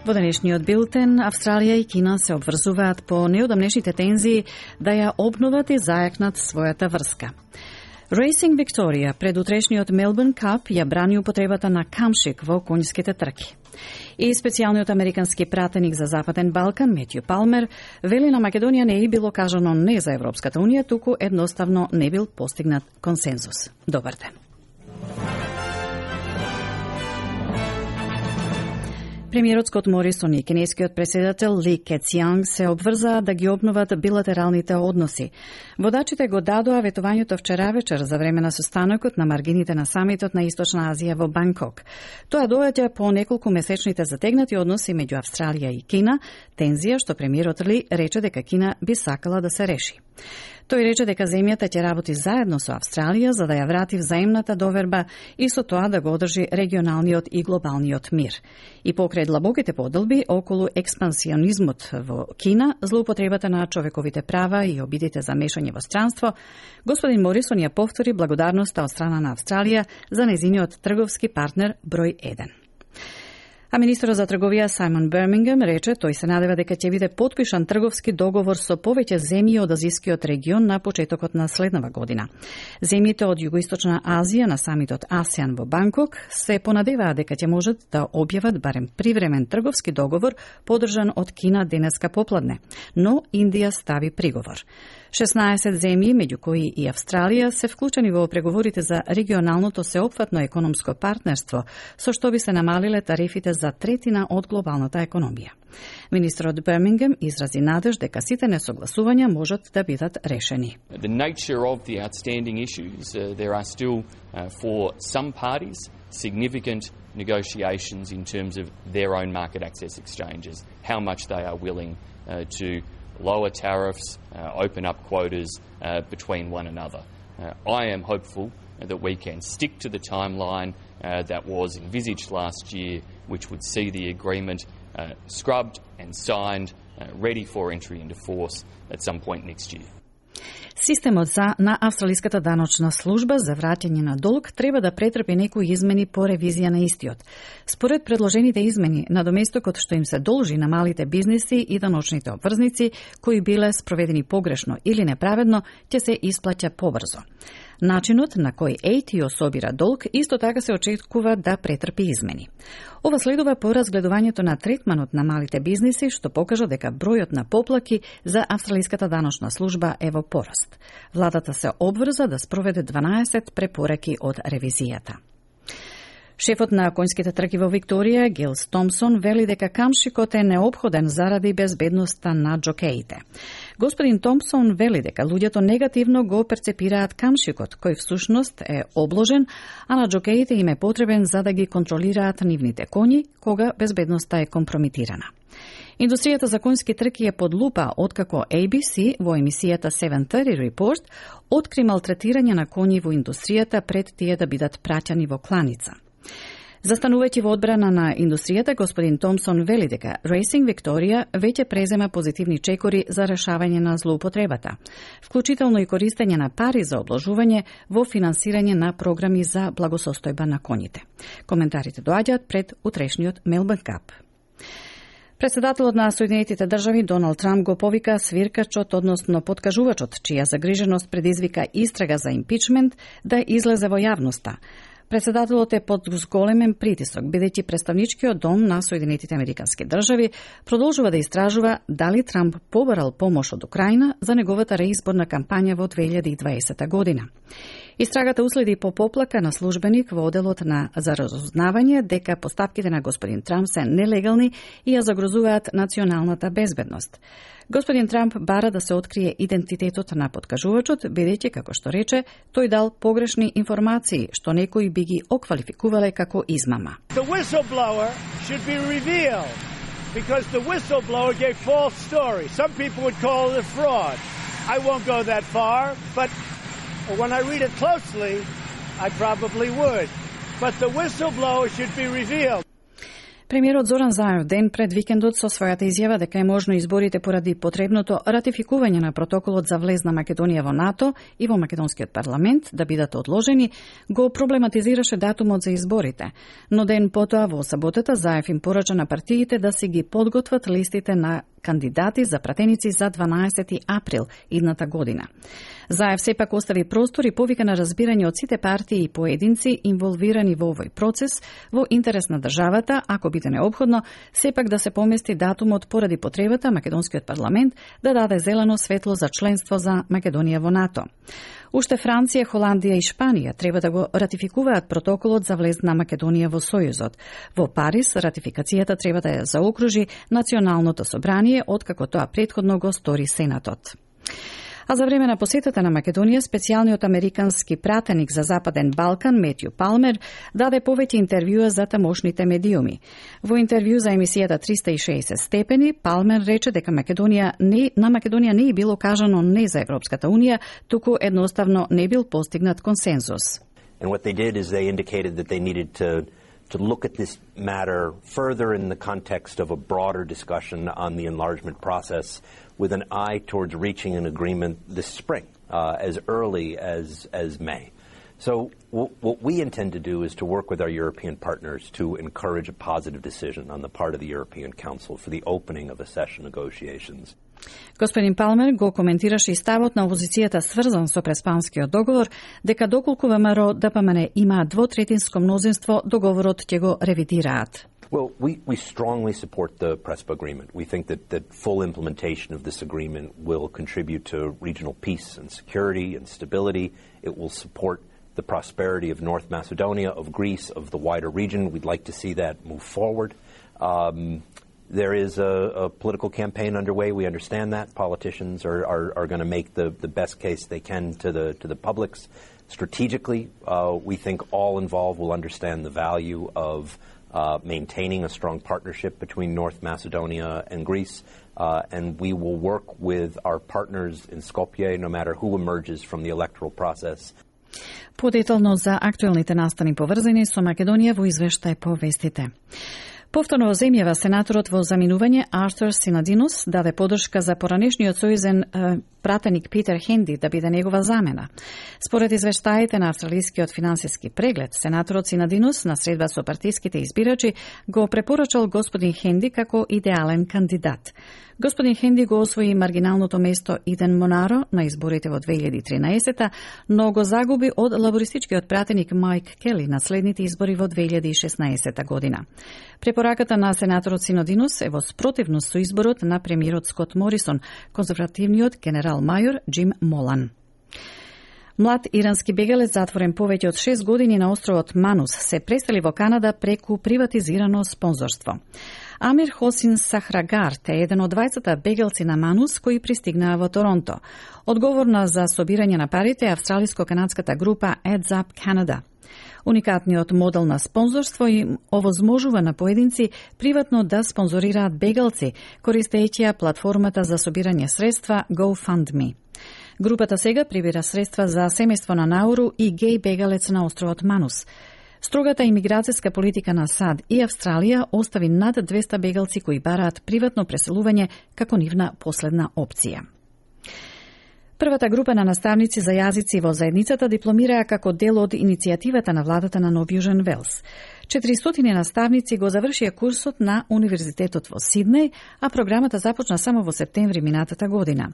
Во денешниот билтен, Австралија и Кина се обврзуваат по неодамнешните тензии да ја обноват и зајакнат својата врска. Racing Victoria пред утрешниот Melbourne Cup ја брани употребата на камшик во конјските трки. И специјалниот американски пратеник за Западен Балкан, Метју Палмер, вели на Македонија не е било кажано не за Европската Унија, туку едноставно не бил постигнат консензус. Добар ден. Премиерот Скот Морисон и кинескиот претседател Ли Кецјанг се обврзаа да ги обноват билатералните односи. Водачите го дадоа ветувањето вчера вечер за време на состанокот на маргините на самитот на Источна Азија во Банкок. Тоа доаѓа по неколку месечните затегнати односи меѓу Австралија и Кина, тензија што премиерот Ли рече дека Кина би сакала да се реши. Тој рече дека земјата ќе работи заедно со Австралија за да ја врати взаимната доверба и со тоа да го одржи регионалниот и глобалниот мир. И покрај длабоките поделби околу експансионизмот во Кина, злоупотребата на човековите права и обидите за мешање во странство, господин Морисон ја повтори благодарноста од страна на Австралија за нејзиниот трговски партнер број 1. А министерот за трговија Сајмон Бермингем рече тој се надева дека ќе биде потпишан трговски договор со повеќе земји од азискиот регион на почетокот на следнава година. Земјите од Југоисточна Азија на самитот АСЕАН во Банкок се понадеваат дека ќе можат да објават барем привремен трговски договор подржан од Кина денеска попладне, но Индија стави приговор. 16 земји, меѓу кои и Австралија, се вклучени во преговорите за регионалното сеопфатно економско партнерство, со што би се намалиле тарифите за третина од глобалната економија. Министерот Бермингем изрази надеж дека сите несогласувања можат да бидат решени. The nature of the outstanding issues, there are still for some parties significant negotiations in terms of their own market access exchanges, how much they are willing to lower tariffs, open up quotas between one another. I am hopeful that we can stick to the timeline that was envisaged last year, which would see the agreement scrubbed and signed, ready for entry into force at some point next year. Системот на Австралиската даночна служба за враќање на долг треба да претрпи некои измени по ревизија на истиот. Според предложените измени, надоместокот што им се должи на малите бизниси и даночните обврзници, кои биле спроведени погрешно или неправедно, ќе се исплаќа побрзо. Начинот на кој ATO собира долг исто така се очекува да претрпи измени. Ова следува по разгледувањето на третманот на малите бизниси, што покажа дека бројот на поплаки за Австралиската даночна служба е во пораст. Владата се обврза да спроведе 12 препораки од ревизијата. Шефот на конјските трки во Викторија, Гилс Томсон, вели дека камшикот е неопходен заради безбедноста на џокеите. Господин Томсон вели дека луѓето негативно го перцепираат камшикот, кој всушност е обложен, а на џокеите им е потребен за да ги контролираат нивните коњи, кога безбедноста е компромитирана. Индустријата за конјски трки е под лупа откако ABC во емисијата 730 Report откри малтретирање на коњи во индустријата пред тие да бидат праќани во кланица. Застанувајќи во одбрана на индустријата, господин Томсон вели дека Racing Victoria веќе презема позитивни чекори за решавање на злоупотребата, вклучително и користење на пари за обложување во финансирање на програми за благосостојба на коњите. Коментарите доаѓаат пред утрешниот Melbourne Cup. Претседателот на Соединетите држави Доналд Трамп го повика свиркачот, односно подкажувачот, чија загриженост предизвика истрага за импичмент, да излезе во јавноста. Претседателот е под зголемен притисок, бидејќи представничкиот дом на Соединетите американски држави продолжува да истражува дали Трамп побарал помош од Украина за неговата реизборна кампања во 2020 година. Истрагата уследи по поплака на службеник во оделот за разузнавање дека постапките на господин Трамп се нелегални и ја загрозуваат националната безбедност. Господин Трамп бара да се открие идентитетот на подкажувачот, бидејќи, како што рече, тој дал погрешни информации, што некои би ги оквалификувале како измама. The whistleblower should be revealed because the whistleblower gave false stories. Some people would call it a fraud. I won't go that far, but when I read it closely, I probably would. But the whistleblower should be revealed. Премиерот Зоран Заев ден пред викендот со својата изјава дека е можно изборите поради потребното ратификување на протоколот за влез на Македонија во НАТО и во македонскиот парламент да бидат одложени, го проблематизираше датумот за изборите. Но ден потоа во саботата Заев им порача на партиите да си ги подготват листите на кандидати за пратеници за 12 април идната година. Заев сепак остави простор и повика на разбирање од сите партии и поединци инволвирани во овој процес во интерес на државата, ако биде неопходно, сепак да се помести датумот поради потребата македонскиот парламент да даде зелено светло за членство за Македонија во НАТО. Уште Франција, Холандија и Шпанија треба да го ратификуваат протоколот за влез на Македонија во Сојузот. Во Париз ратификацијата треба да ја заокружи Националното собрание, откако тоа претходно го стори Сенатот. А за време на посетата на Македонија, специјалниот американски пратеник за Западен Балкан, Метју Палмер, даде повеќе интервјуа за тамошните медиуми. Во интервју за емисијата 360 степени, Палмер рече дека на Македонија не е било кажано не за Европската Унија, туку едноставно не бил постигнат консензус. And what they did is they indicated that they needed to look at this matter further in the context of a broader discussion on the enlargement process with an eye towards reaching an agreement this spring, as early as May. So what we intend to do is to work with our European partners to encourage a positive decision on the part of the European Council for the opening of accession negotiations. Господин Палмер го коментираше и ставот на опозицијата сврзан со преспанскиот договор, дека доколку ВМРО ДПМН има двотретинско мнозинство, договорот ќе го ревидираат. Well, we strongly support the PRESPA agreement. We think that full implementation of this agreement will contribute to regional peace and security and stability. It will support the prosperity of North Macedonia, of Greece, of the wider region. We'd like to see that move forward. There is a political campaign underway. We understand that. Politicians are going to make the best case they can to the publics. Strategically, we think all involved will understand the value of maintaining a strong partnership between North Macedonia and Greece, and we will work with our partners in Skopje, no matter who emerges from the electoral process. Подетално за актуелните настани поврзани со Македонија во извештај по вестите. Повторно во земјава сенаторот во заминување Артур Синадинос даде подршка за поранешниот сојузен пратеник Питер Хенди да биде негова замена. Според извештаите на австралискиот финансиски преглед, сенаторот Синадинос на средба со партиските избирачи го препорачал господин Хенди како идеален кандидат. Господин Хенди го освои маргиналното место Иден Монаро на изборите во 2013, но го загуби од лабористичкиот пратеник Майк Кели на следните избори во 2016 година. Препораката на сенаторот Синадинос е во спротивност со изборот на премиерот Скот Морисон, конзервативниот генерал мајор Џим Молан. Млад ирански бегалец затворен повеќе од 6 години на островот Манус се пресели во Канада преку приватизирано спонзорство. Амир Хосин Сахрагарт е еден од двајцата бегалци на Манус кои пристигнаа во Торонто. Одговорна за собирање на парите е австралиско-канадската група Adds Up Canada. Уникатниот модел на спонзорство им овозможува на поединци приватно да спонзорираат бегалци, користејќи платформата за собирање средства GoFundMe. Групата сега прибира средства за семејство на Науру и геј бегалец на островот Манус. Строгата имиграцијска политика на САД и Австралија остави над 200 бегалци кои бараат приватно преселување како нивна последна опција. Првата група на наставници за јазици во заедницата дипломираа како дел од иницијативата на владата на Нов Јужен Велс. 400 наставници го завршија курсот на Универзитетот во Сиднеј, а програмата започна само во септември минатата година.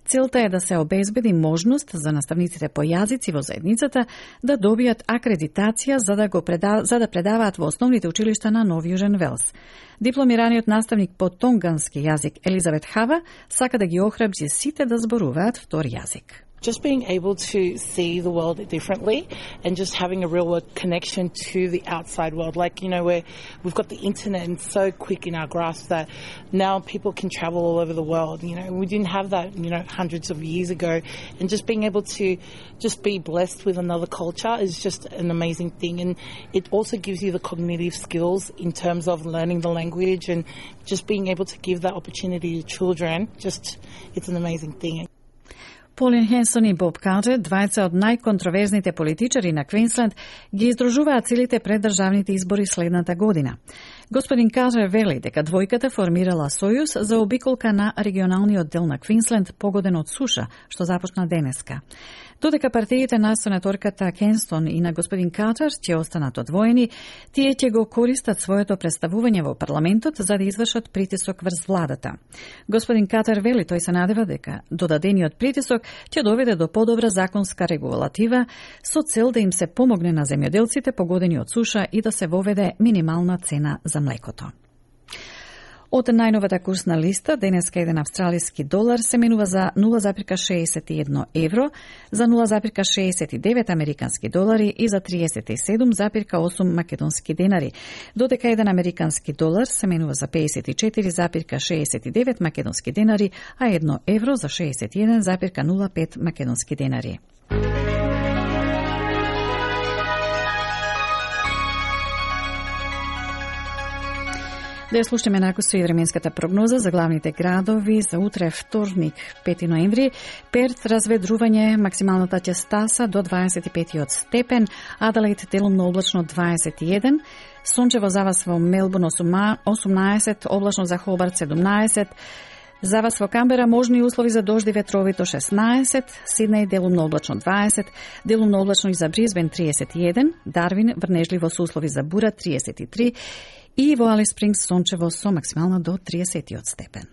Целта е да се обезбеди можност за наставниците по јазици во заедницата да добијат акредитација за да предаваат во основните училишта на Нов Јужен Велс. Дипломираниот наставник по тонгански јазик Елизабет Хава сака да ги охрабри сите да зборуваат втори јазик. Just being able to see the world differently and just having a real connection to the outside world. Like, you know, where we've got the internet and so quick in our grasp that now people can travel all over the world. You know, we didn't have that, you know, hundreds of years ago. And just being able to just be blessed with another culture is just an amazing thing. And it also gives you the cognitive skills in terms of learning the language and just being able to give that opportunity to children. Just, it's an amazing thing. Полин Хенсон и Боб Каутер, двајца од најконтроверзните политичари на Квинсленд, ги издружуваат целите пред државните избори следната година. Господин Картер вели дека двојката формирала сојуз за обиколка на регионалниот дел на Квинсленд погоден од суша, што започна денеска. Додека партиите на сенаторката Кенстон и на господин Картер ќе останат одвоени, тие ќе го користат своето представување во парламентот за да извршат притисок врз владата. Господин Картер вели тој се надева дека додадениот притисок ќе доведе до подобра законска регулатива со цел да им се помогне на земјоделците погодени од суша и да се воведе минимална цена за млекото. Од најновата курсна листа, денеска еден австралиски долар се менува за 0,61 евро, за 0,69 американски долари и за 37,8 македонски денари, додека еден американски долар се менува за 54,69 македонски денари, а 1 евро за 61,05 македонски денари. Да ја слушаме накусто и временската прогноза за главните градови за утре вторник, 5 ноември. Перт разведрување, максималната ќестаса до 25 степен, Аделаид делумно облачно 21, сончево за вас во Мелбурн 18, облачно за Хобарт 17, за вас во Камбера можни услови за дожди ветровито 16, Сиднеј делумно облачно 20, делумно облачно и за Брисбен 31, Дарвин врнежливо со услови за бура 33 и во Алис Спрингс сончево со максимална до 30 степен.